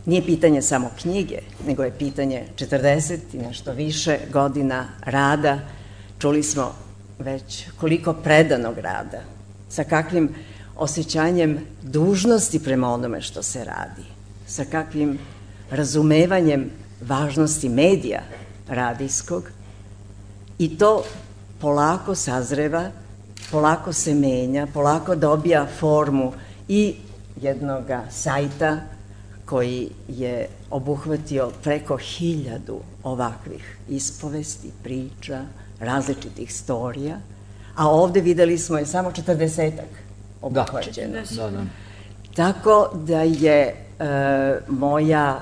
nije pitanje samo knjige, nego je pitanje 40 i nešto više godina rada. Čuli smo već koliko predanog rada, sa kakvim osjećanjem dužnosti prema onome što se radi, sa kakvim razumevanjem važnosti medija radijskog, i to polako sazreva, polako se menja, polako dobija formu i jednog sajta koji je obuhvatio preko 1000 ovakvih ispovesti, priča, različitih storija, a ovde videli smo je samo 40-ak obuhvaćeno. Da. Tako da je moja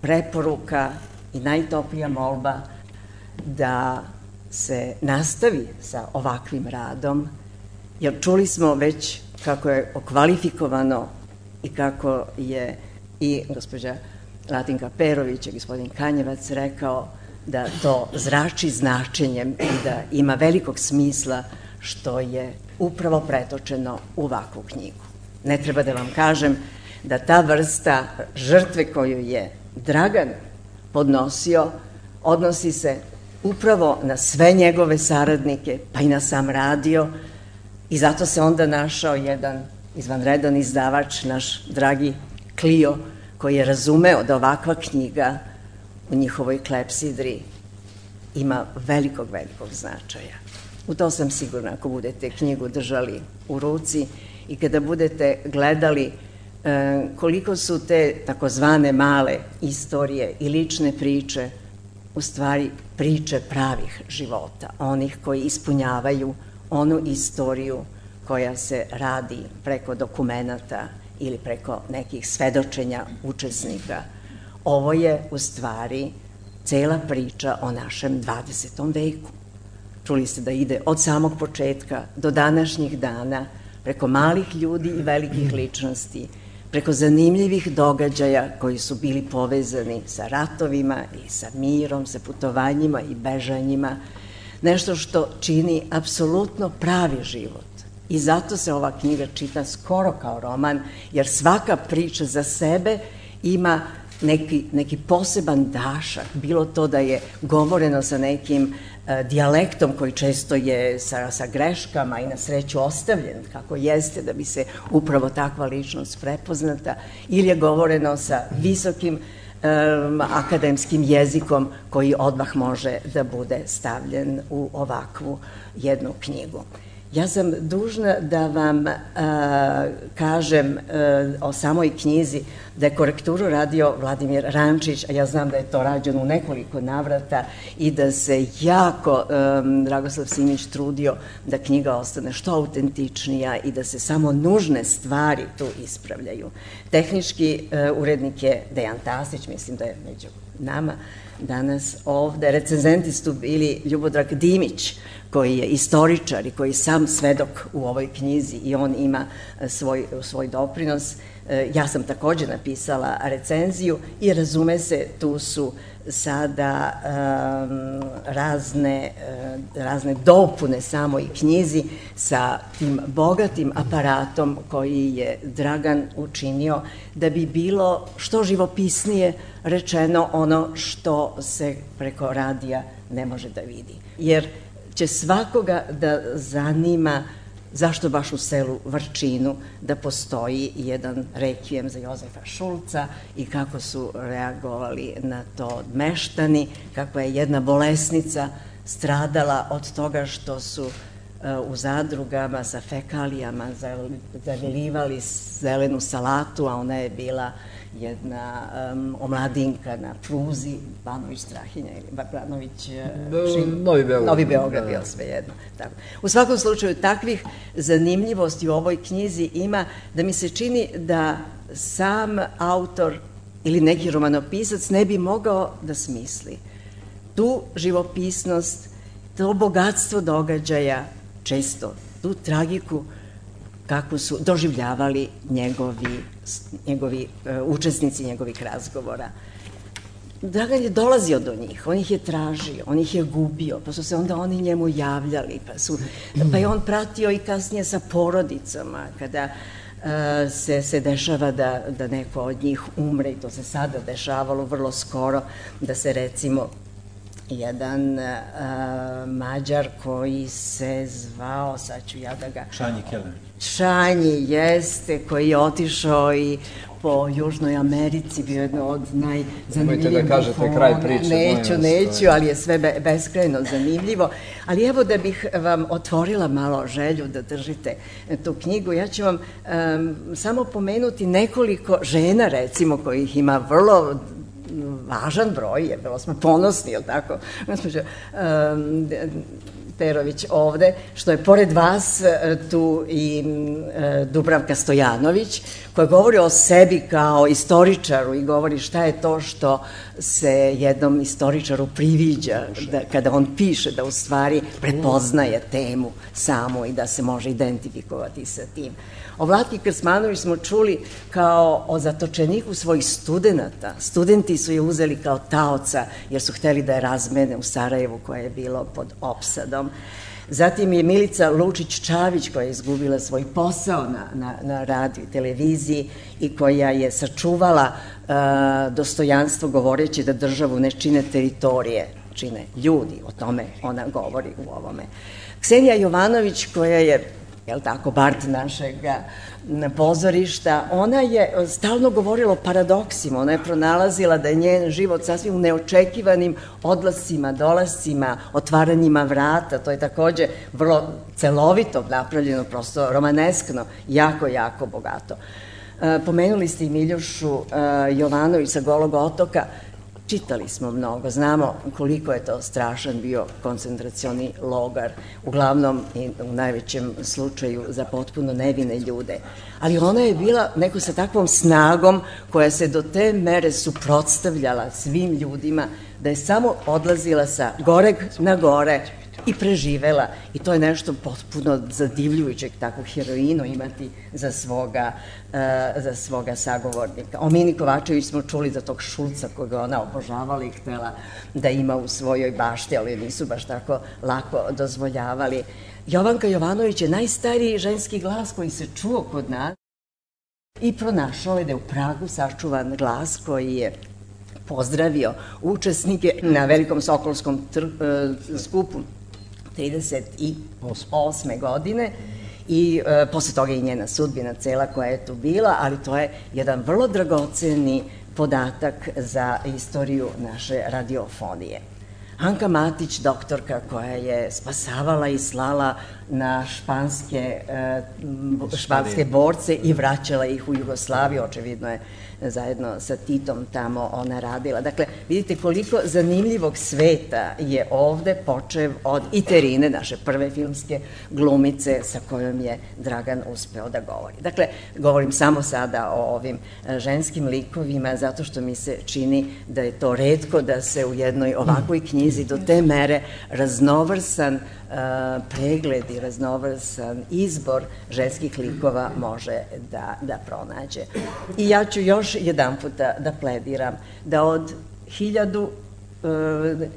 preporuka i najtoplija molba da se nastavi sa ovakvim radom, jer čuli smo već kako je okvalifikovano i kako je i gospođa Latinka Perović i gospodin Kanjevac rekao da to zrači značenjem i da ima velikog smisla što je upravo pretočeno u ovakvu knjigu. Ne treba da vam kažem da ta vrsta žrtve koju je Dragan podnosio odnosi se upravo na sve njegove saradnike, pa i na sam radio, i zato se onda našao jedan izvanredan izdavač, naš dragi Klio, koji je razumeo da ovakva knjiga u njihovoj klepsidri ima velikog značaja. U to sam sigurna ako budete knjigu držali u ruci i kada budete gledali koliko su te takozvane male istorije i lične priče u stvari priče pravih života, onih koji ispunjavaju onu istoriju koja se radi preko dokumenata ili preko nekih svedočenja učesnika. Ovo je u stvari cela priča o našem 20. veku. Čuli ste da ide od samog početka do današnjih dana, preko malih ljudi i velikih ličnosti, preko zanimljivih događaja koji su bili povezani sa ratovima i sa mirom, sa putovanjima i bežanjima, nešto što čini apsolutno pravi život. I zato se ova knjiga čita skoro kao roman, jer svaka priča za sebe ima neki poseban dašak, bilo to da je govoreno sa nekim dijalektom koji često je sa greškama i na sreću ostavljen, kako jeste, da bi se upravo takva ličnost prepoznata, ili je govoreno sa visokim akademskim jezikom koji odmah može da bude stavljen u ovakvu jednu knjigu. Ja sam dužna da vam kažem o samoj knjizi da je korekturu radio Vladimir Rančić, a ja znam da je to rađeno u nekoliko navrata i da se jako Dragoslav Simić trudio da knjiga ostane što autentičnija i da se samo nužne stvari tu ispravljaju. Tehnički urednik je Dejan Tasić, mislim da je među nama danas ovde. Recenzenti su bili Ljubodrag Dimić, koji je istoričar i koji je sam svedok u ovoj knjizi i on ima svoj doprinos. Ja sam takođe napisala recenziju i razume se, tu su sada razne dopune samoj knjizi sa tim bogatim aparatom koji je Dragan učinio da bi bilo što živopisnije rečeno ono što se preko radija ne može da vidi. Jer će svakoga da zanima zašto baš u selu Vrčinu da postoji jedan rekvijem za Jozefa Šulca i kako su reagovali na to meštani, kako je jedna bolesnica stradala od toga što su u zadrugama sa fekalijama zavilivali zelenu salatu, a ona je bila jedna omladinka na pruzi Banović Strahinja ili Banović Novi Beograd, bilo svejedno. U svakom slučaju, takvih zanimljivosti u ovoj knjizi ima da mi se čini da sam autor ili neki romanopisac ne bi mogao da smisli tu živopisnost, to bogatstvo događaja, često tu tragiku kako su doživljavali njegovi učesnici njegovih razgovora. Dragan je dolazio do njih, on ih je tražio, on ih je gubio, pa su se onda oni njemu javljali, pa je on pratio i kasnije sa porodicama, kada se dešava da neko od njih umre i to se sada dešavalo vrlo skoro, da se recimo jedan Mađar koji se zvao, sad ću ja da ga... Šanji Kelenić. Šanji, jeste, koji je otišao i po Južnoj Americi, bio jedno od najzanimljivijih... Nemojte da kažete kraj priče. Neću, ali je sve beskrajno zanimljivo. Ali evo da bih vam otvorila malo želju da držite tu knjigu, ja ću vam samo pomenuti nekoliko žena, recimo, kojih ima vrlo važan broj, jer bilo smo ponosni, je li tako, gospođo Terović ovde, što je pored vas tu i Dubravka Stojanović, koja govori o sebi kao istoričaru i govori šta je to što se jednom istoričaru priviđa kada on piše, da u stvari prepoznaje temu samu i da se može identifikovati sa tim. O Vlatki Krsmanović smo čuli kao o zatočeniku svojih studenta. Studenti su je uzeli kao taoca jer su hteli da je razmene u Sarajevu koje je bilo pod opsadom. Zatim je Milica Lučić-Čavić koja je izgubila svoj posao na radiju i televiziji i koja je sačuvala dostojanstvo govoreći da državu ne čine teritorije, čine ljudi, o tome ona govori u ovome. Ksenija Jovanović koja je, jel tako, bard našeg pozorišta, ona je stalno govorila o paradoksima, ona je pronalazila da je njen život sasvim u neočekivanim odlascima, dolascima, otvaranjima vrata, to je takođe vrlo celovito napravljeno, prosto romaneskno, jako, jako bogato. Pomenuli ste i Miljušu Jovanović sa Golog otoka, čitali smo mnogo, znamo koliko je to strašan bio koncentracioni logor, uglavnom i u najvećem slučaju za potpuno nevine ljude. Ali ona je bila neko sa takvom snagom koja se do te mere suprotstavljala svim ljudima, da je samo odlazila sa goreg na gore i preživela. I to je nešto potpuno zadivljujućeg, takvu heroinu imati za svoga sagovornika. O Mini Kovačević smo čuli za tog Šulca koga ona obožavala i htela da ima u svojoj bašti, ali nisu baš tako lako dozvoljavali. Jovanka Jovanović je najstariji ženski glas koji se čuo kod nas i pronašao je da je u Pragu sačuvan glas koji je pozdravio učesnike na Velikom Sokolskom skupu 1938. godine i posle toga i njena sudbina cela koja je tu bila, ali to je jedan vrlo dragoceni podatak za istoriju naše radiofonije. Anka Matić, doktorka koja je spasavala i slala na španske borce i vraćala ih u Jugoslaviju, očevidno je zajedno sa Titom tamo ona radila. Dakle, vidite koliko zanimljivog sveta je ovde, počev od Iterine, naše prve filmske glumice sa kojom je Dragan uspeo da govori. Dakle, govorim samo sada o ovim ženskim likovima zato što mi se čini da je to retko da se u jednoj ovakvoj knjizi do te mere raznovrsan pregled i raznovrsan izbor ženskih likova može da pronađe. I ja ću još jedan puta da plediram da od 1000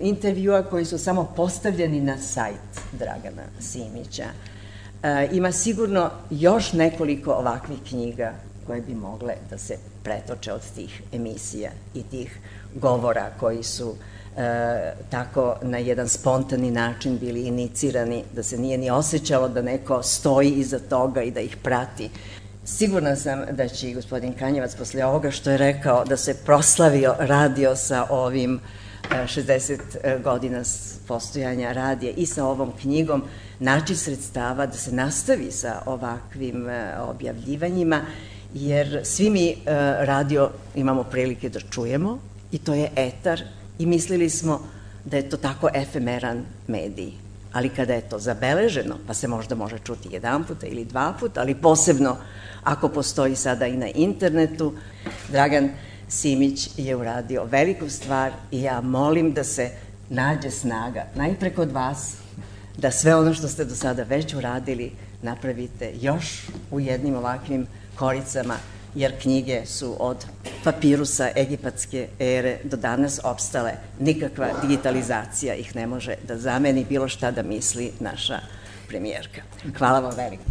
intervjua koji su samo postavljeni na sajt Dragana Simića ima sigurno još nekoliko ovakvih knjiga koje bi mogle da se pretoče od tih emisija i tih govora koji su tako na jedan spontani način bili inicirani, da se nije ni osjećalo da neko stoji iza toga i da ih prati. Sigurna sam da će i gospodin Kanjevac posle ovoga što je rekao da se proslavio radio sa ovim 60 godina postojanja radija i sa ovom knjigom naći sredstava da se nastavi sa ovakvim objavljivanjima, jer svi mi radio imamo prilike da čujemo i to je etar i mislili smo da je to tako efemeran medij. Ali kada je to zabeleženo, pa se možda može čuti jedan puta ili dva puta, ali posebno ako postoji sada i na internetu, Dragan Simić je uradio veliku stvar i ja molim da se nađe snaga, najpre kod vas, da sve ono što ste do sada već uradili napravite još u jednim ovakvim koricama, jer knjige su od papirusa egipatske ere do danas opstale. Nikakva digitalizacija ih ne može da zameni bilo šta da misli naša premijerka. Hvala vam veliko.